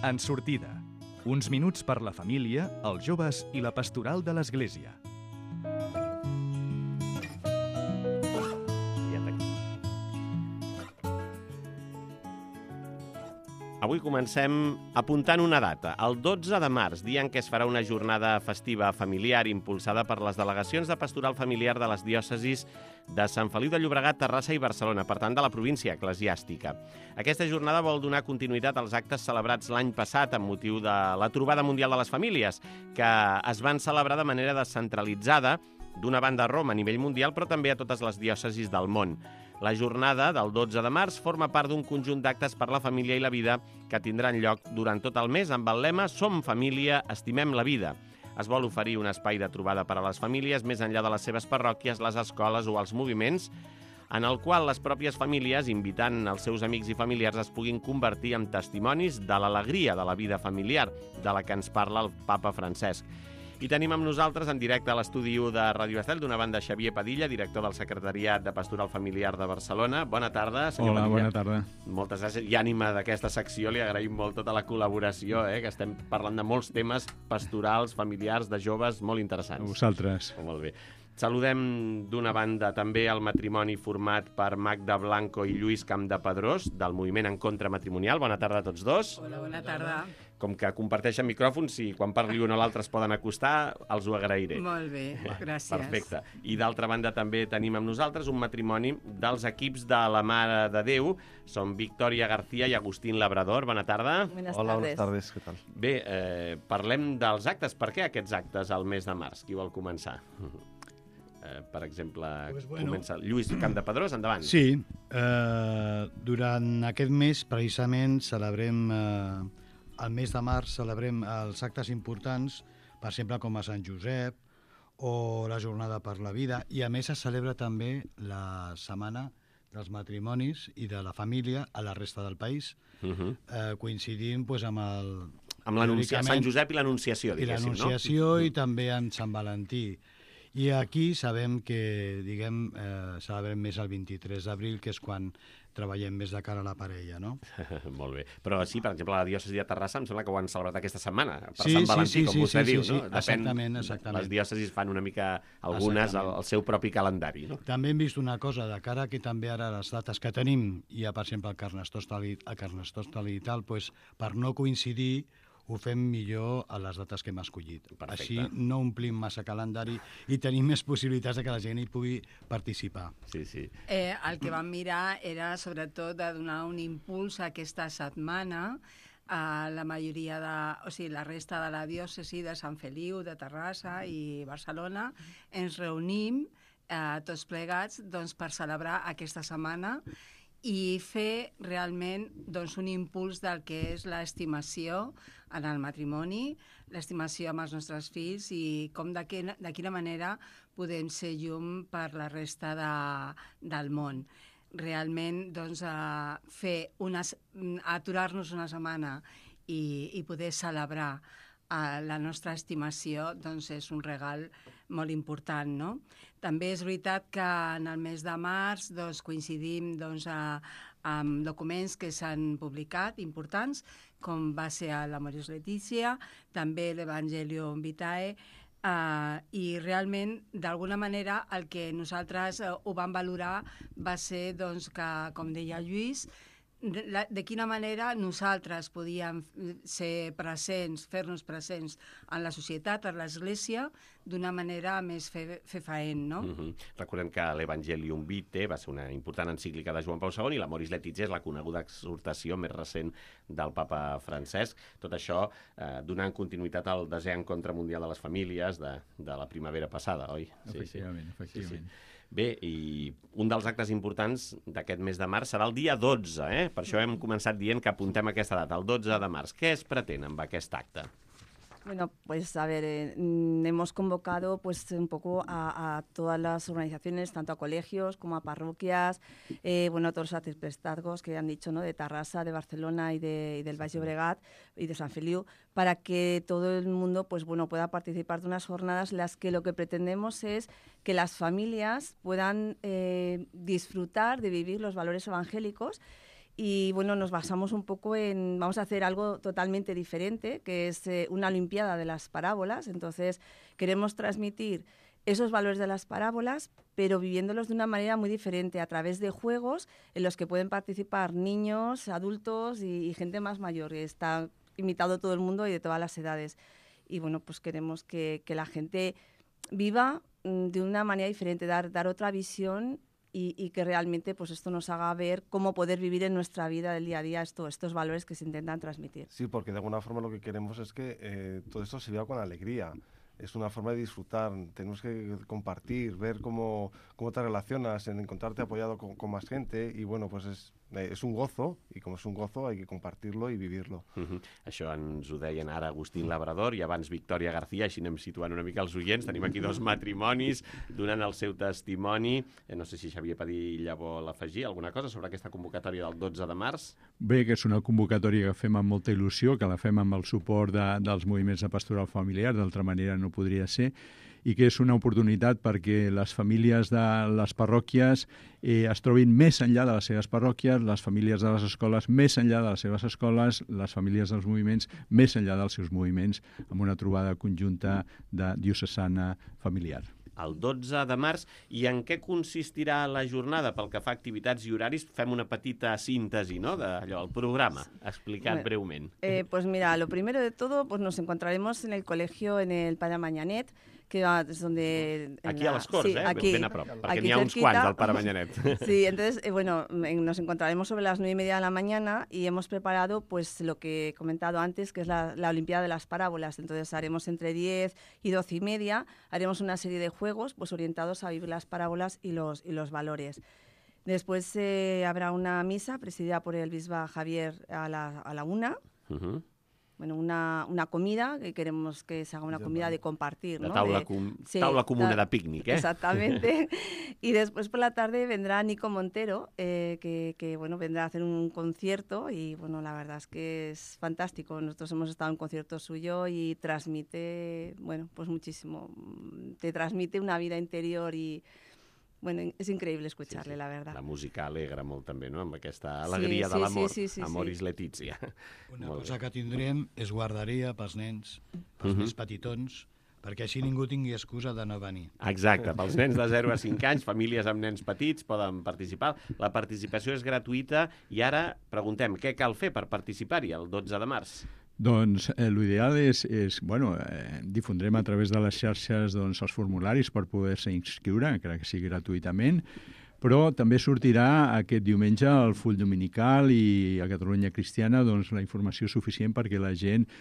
En sortida. Uns minuts per la família, els joves i la pastoral de l'Església. Avui comencem apuntant una data, el 12 de març, dia en què es farà una jornada festiva familiar impulsada per les delegacions de pastoral familiar de les diòcesis de Sant Feliu de Llobregat, Terrassa i Barcelona, per tant de la província eclesiàstica. Aquesta jornada vol donar continuïtat als actes celebrats l'any passat amb motiu de la Trobada Mundial de les Famílies, que es van celebrar de manera descentralitzada, d'una banda a Roma a nivell mundial, però també a totes les diòcesis del món. La jornada del 12 de març forma part d'un conjunt d'actes per la família i la vida que tindran lloc durant tot el mes amb el lema Som família, estimem la vida. Es vol oferir un espai de trobada per a les famílies més enllà de les seves parròquies, les escoles o els moviments, en el qual les pròpies famílies, invitant els seus amics i familiars, es puguin convertir en testimonis de l'alegria de la vida familiar, de la que ens parla el papa Francesc. I tenim amb nosaltres en directe a l'estudi 1 de Ràdio Estel, d'una banda Xavier Padilla, director del Secretariat de Pastoral Familiar de Barcelona. Bona tarda, senyor Padilla. Hola, bona tarda. Moltes gràcies. I ànima d'aquesta secció, li agraïm molt tota la col·laboració, que estem parlant de molts temes pastorals, familiars, de joves, molt interessants. A vosaltres. Molt bé. Saludem d'una banda també el matrimoni format per Magda Blanco i Lluís Campdepadrós, del Moviment en Contra Matrimonial. Bona tarda a tots dos. Hola, bona tarda. Com que comparteixen micròfons, si quan parli un o l'altre es poden acostar, els ho agrairé. Molt bé, gràcies. Perfecte. I d'altra banda també tenim amb nosaltres un matrimoni dels equips de la Mare de Déu. Són Victòria García i Agustín Labrador. Bona tarda. Hola, buenas tardes, què tal? Bé, parlem dels actes. Per què aquests actes al mes de març? Qui vol començar? Per exemple, comença Lluís Campdepadrós, endavant. Sí, durant aquest mes, precisament, celebrem, el mes de març, celebrem els actes importants, per exemple, com a Sant Josep o la Jornada per la Vida, i a més es celebra també la Setmana dels Matrimonis i de la Família a la resta del país, coincidint doncs, amb el... Amb Sant Josep i l'Anunciació, diguéssim, no? I l'Anunciació i també amb Sant Valentí. I aquí sabem que, celebrem més el 23 d'abril, que és quan treballem més de cara a la parella, no? Molt bé. Però sí, per exemple, la diòcesi de Terrassa em sembla que ho han celebrat aquesta setmana, per Sant Valentí, com vostè diu, no? Exactament. Les diòcesis fan una mica, algunes, el seu propi calendari, no? També hem vist una cosa, de cara que també ara les dates que tenim, hi ha, per exemple, el Carnestoltes i tal, per no coincidir, ho fem millor a les dates que hem escollit. Perfecte. Així no omplim massa calendari i tenim més possibilitats de que la gent hi pugui participar. Sí. El que vam mirar era, sobretot, de donar un impuls a aquesta setmana a la majoria la resta de la diòcesi de Sant Feliu, de Terrassa i Barcelona. Ens reunim tots plegats per celebrar aquesta setmana i fer realment un impuls del que és l'estimació en el matrimoni, l'estimació amb els nostres fills i de quina manera podem ser llum per la resta del món. Realment, aturar-nos una setmana i poder celebrar la nostra estimació és un regal molt important, no? També és veritat que en el mes de març coincidim amb documents que s'han publicat importants, com va ser l'Amoris Laetitia, també l'Evangelium Vitae, i realment, d'alguna manera, el que nosaltres ho vam valorar va ser que, com deia Lluís, de quina manera nosaltres podíem ser presents, fer-nos presents en la societat, en l'Església, d'una manera més fefaent, no? Recordem que l'Evangelium Vitae va ser una important encíclica de Joan Pau II i l'Amoris Laetitia és la coneguda exhortació més recent del papa Francesc. Tot això donant continuïtat al desè encontre mundial de les famílies de la primavera passada, oi? Efectivament. Sí. Bé, i un dels actes importants d'aquest mes de març serà el dia 12, Per això hem començat dient que apuntem aquesta data, el 12 de març. Què es pretén amb aquest acte? Bueno, pues a ver, hemos convocado pues un poco a todas las organizaciones, tanto a colegios como a parroquias, todos los arciprestazgos que han dicho, ¿no? De Terrassa, de Barcelona y del Baix Llobregat y de Sant Feliu, para que todo el mundo pueda participar de unas jornadas en las que lo que pretendemos es que las familias puedan disfrutar de vivir los valores evangélicos Y bueno, nos basamos un poco en, vamos a hacer algo totalmente diferente, que es una olimpiada de las parábolas. Entonces, queremos transmitir esos valores de las parábolas, pero viviéndolos de una manera muy diferente, a través de juegos en los que pueden participar niños, adultos y gente más mayor. Está invitado todo el mundo y de todas las edades. Y bueno, pues queremos que la gente viva de una manera diferente, dar otra visión y que realmente pues esto nos haga ver cómo poder vivir en nuestra vida del día a día estos valores que se intentan transmitir. Sí, porque de alguna forma lo que queremos es que todo esto se viva con alegría. Es una forma de disfrutar, tenemos que compartir, ver cómo te relacionas, en encontrarte apoyado con más gente, y bueno, pues és un gozo, i com és un gozo hay que compartir-lo i vivir-lo. Això ens ho deien ara Agustín Labrador i abans Victòria García, així anem situant una mica els oients. Tenim aquí 2 matrimonis donant el seu testimoni. No sé si Xavier Padilla vol afegir alguna cosa sobre aquesta convocatòria del 12 de març. Bé, que és una convocatòria que fem amb molta il·lusió, que la fem amb el suport dels moviments de pastoral familiar, d'altra manera no podria ser, i que és una oportunitat perquè les famílies de les parròquies es trobin més enllà de les seves parròquies, les famílies de les escoles més enllà de les seves escoles, les famílies dels moviments més enllà dels seus moviments, amb una trobada conjunta de diocesana familiar. El 12 de març. I en què consistirà la jornada? Pel que fa a activitats i horaris, fem una petita síntesi, ¿no?, d'allò, el programa, explicat breument. Pues mira, lo primero de todo, pues nos encontraremos en el colegio, en el Pare Manyanet, que es donde... Aquí a les Corts, sí, aquí, ben a prop, perquè aquí n'hi ha uns cerquita. quants al Pare Manyanet. Sí, entonces, bueno, nos encontraremos sobre las 9:30 de la mañana y hemos preparado pues lo que he comentado antes, que es la Olimpiada de las Parábolas. Entonces haremos entre 10 y 12:30, haremos una serie de juegos pues orientados a vivir las parábolas y los valores. Después habrá una misa presidida por el Bisba Javier a la 1. Bueno, una comida, que queremos que se haga una comida de compartir, ¿no? La taula comuna de pícnic, Exactamente. Y después por la tarde vendrá Nico Montero, que bueno, vendrá a hacer un concierto y bueno, la verdad es que es fantástico. Nosotros hemos estado en un concierto suyo y transmite, bueno, pues muchísimo. Te transmite una vida interior y... Bueno, és increïble escuchar-le, la verdad. La música alegra molt també, no?, amb aquesta alegria de l'amor. Amoris Letizia. Una cosa que tindrem és guarderia pels nens, pels més petitons, perquè així ningú tingui excusa de no venir. Exacte, pels nens de 0 a 5 anys, famílies amb nens petits poden participar. La participació és gratuïta i ara preguntem què cal fer per participar-hi el 12 de març. Doncs l'ideal és difondrem a través de les xarxes els formularis per poder-se inscriure, encara que sigui gratuïtament, però també sortirà aquest diumenge al full dominical i a Catalunya Cristiana la informació suficient perquè la gent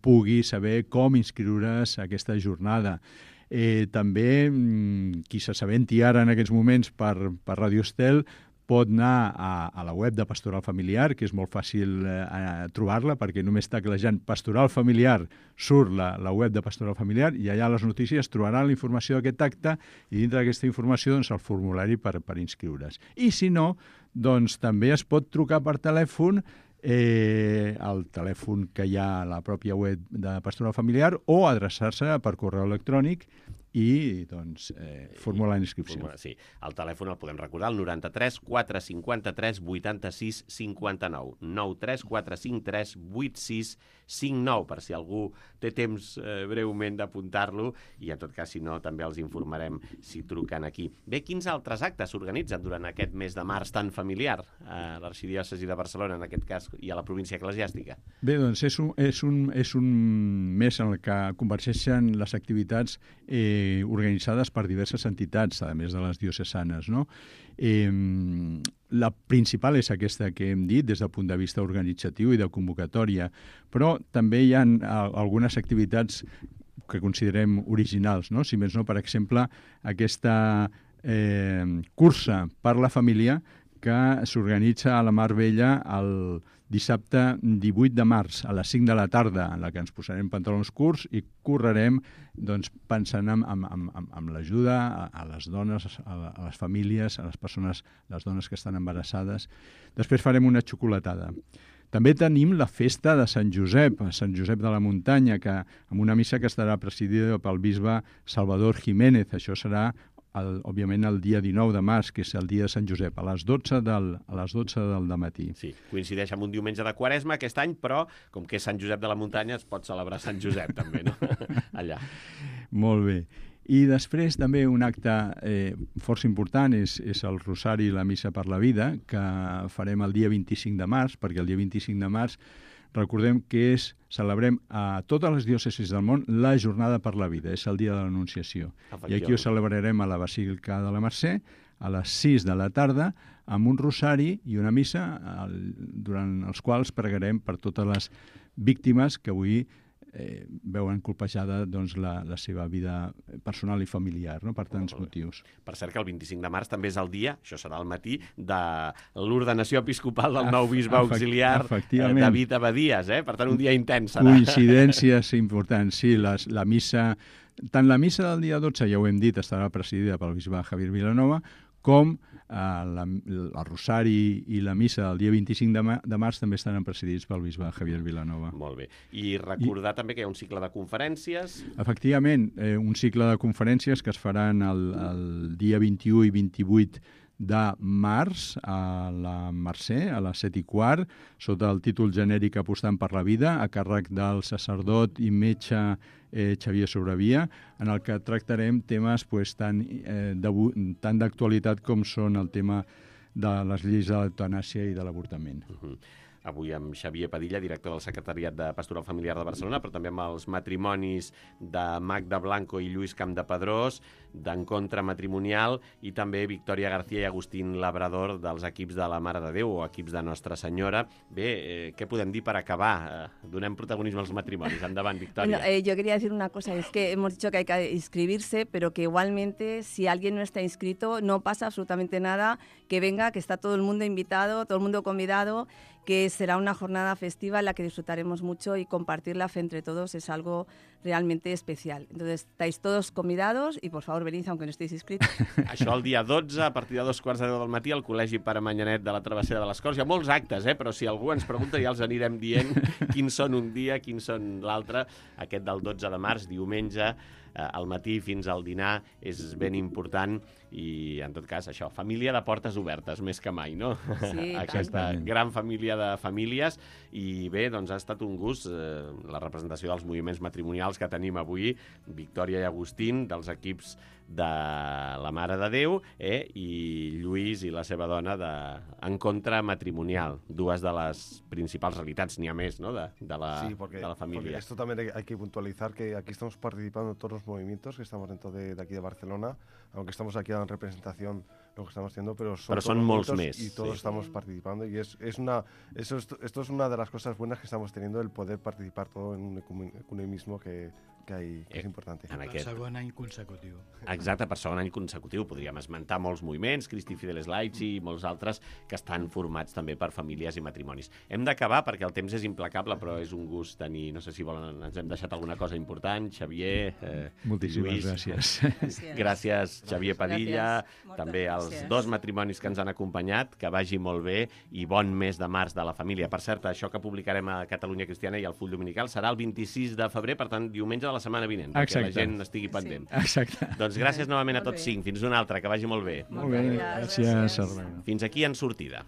pugui saber com inscriure's a aquesta jornada. També, qui s'assabenti ara en aquests moments per Radio Estel, pot anar a la web de Pastoral Familiar, que és molt fàcil trobar-la, perquè només teclejant Pastoral Familiar surt la web de Pastoral Familiar i allà a les notícies trobaran la informació d'aquest acte i dintre d'aquesta informació el formulari per inscriure's. I si no, doncs també es pot trucar per telèfon, el telèfon que hi ha a la pròpia web de Pastoral Familiar, o adreçar-se per correu electrònic i formular l'inscripció. Sí, el telèfon el podem recordar, el 93 453 86 59, 93 453 86 59, per si algú té temps breument d'apuntar-lo, i en tot cas, si no, també els informarem si truquen aquí. Bé, quins altres actes s'organitzen durant aquest mes de març tan familiar a l'Arxidiòcesi de Barcelona, en aquest cas, i a la província eclesiàstica? Bé, doncs és un mes en el que convergeixen les activitats organitzades per diverses entitats, a més de les diocesanes, no? La principal és aquesta que hem dit des del punt de vista organitzatiu i de convocatòria, però també hi ha algunes activitats que considerem originals, no? Si més no, per exemple, aquesta cursa per la família que s'organitza a la Mar Bella el dissabte 18 de març a les 5 de la tarda, en la que ens posarem pantalons curts i correrem pensant en l'ajuda a les dones, a les famílies, a les dones que estan embarassades. Després farem una xocolatada. També tenim la festa de Sant Josep de la Muntanya, amb una missa que estarà presidida pel bisbe Salvador Jiménez. Això serà òbviament, el dia 19 de març, que és el dia de Sant Josep, a les 12 del dematí. Sí, coincideix amb un diumenge de Quaresma aquest any, però com que és Sant Josep de la Muntanya es pot celebrar Sant Josep també, no? Allà. Molt bé. I després també un acte força important és el Rosari i la Missa per la Vida, que farem el dia 25 de març, perquè el dia 25 de març recordem que celebrem a totes les diòcesis del món la Jornada per la Vida, és el dia de l'Anunciació. I aquí ho celebrarem a la Basílica de la Mercè a les 6 de la tarda amb un rosari i una missa durant els quals pregarem per totes les víctimes que avui veuen colpejada doncs, la seva vida personal i familiar, no? Per tants motius. Per cert que el 25 de març també és el dia, això serà al matí, de l'ordenació episcopal del nou bisbe auxiliar David Abadies, per tant un dia intens serà. Coincidències importants, sí, la missa, tant la missa del dia 12, ja ho hem dit, estarà presidida pel bisbe Javier Vilanova, com el Rosari i la missa del dia 25 de març també estaran presidits pel bisbe Javier Vilanova. Molt bé. I recordar també que hi ha un cicle de conferències. Efectivament, un cicle de conferències que es faran el dia 21 i 28 de març a la Mercè, a les 7:15, sota el títol genèric Apostant per la vida, a càrrec del sacerdot i metge Xavier Sobrevia, en el que tractarem temes tan d'actualitat com són el tema de les lleis de l'eutanàsia i de l'avortament. Avui amb Xavier Padilla, director del Secretariat de Pastoral Familiar de Barcelona, però també amb els matrimonis de Magda Blanco i Lluís Campdepadrós, d'Encontre Matrimonial, i també Victòria García i Agustín Labrador dels equips de la Mare de Déu o equips de Nostra Senyora. Bé, què podem dir per acabar? Donem protagonisme als matrimonis. Endavant, Victòria. Bueno, yo quería decir una cosa, es que hemos dicho que hay que inscribirse, pero que igualmente si alguien no está inscrito no pasa absolutamente nada, que venga, que está todo el mundo invitado, todo el mundo convidado, que será una jornada festiva en la que disfrutaremos mucho y compartir la fe entre todos es algo realmente especial. Entonces, estáis todos convidados y, por favor, venid aunque no estéis inscritos. Això el dia 12, a partir de 2:15 del matí, al Col·legi Pare Manyanet de la Travessera de les Corts. Hi ha molts actes, però si algú ens pregunta ja els anirem dient quins són un dia, quins són l'altre. Aquest del 12 de març, diumenge, al matí fins al dinar, és ben important i, en tot cas, això, família de portes obertes, més que mai, no? Sí, aquesta gran família de famílies. I bé, doncs ha estat un gust la representació dels moviments matrimonials que tenim avui, Victòria i Agustín, dels equips de la Mare de Déu, i Lluís i la seva dona d'Encontre Matrimonial, dues de les principals realitats, n'hi ha més, ¿no?, de la familia. Porque esto también hay que puntualizar que aquí estamos participando en todos los movimientos que estamos dentro de aquí de Barcelona, aunque estamos aquí en representación lo que estamos haciendo, pero son molts més. Y todos estamos participando y esto es una de las cosas buenas que estamos teniendo, el poder participar todo en un ecumenismo que és important. Per segon any consecutiu. Exacte, per segon any consecutiu. Podríem esmentar molts moviments, Christi Fideles Laici i molts altres que estan formats també per famílies i matrimonis. Hem d'acabar perquè el temps és implacable, però és un gust tenir, no sé si volen, ens hem deixat alguna cosa important. Xavier, moltíssimes Lluís. Gràcies. Gràcies, Xavier Padilla, també als dos matrimonis que ens han acompanyat, que vagi molt bé i bon mes de març de la família. Per cert, això que publicarem a Catalunya Cristiana i al Full Dominical serà el 26 de febrer, per tant, diumenge de la setmana vinent, perquè la gent estigui pendent. Exacte. Doncs gràcies novament a tots cinc. Fins una altra, que vagi molt bé. Molt bé, gràcies. Fins aquí en sortida.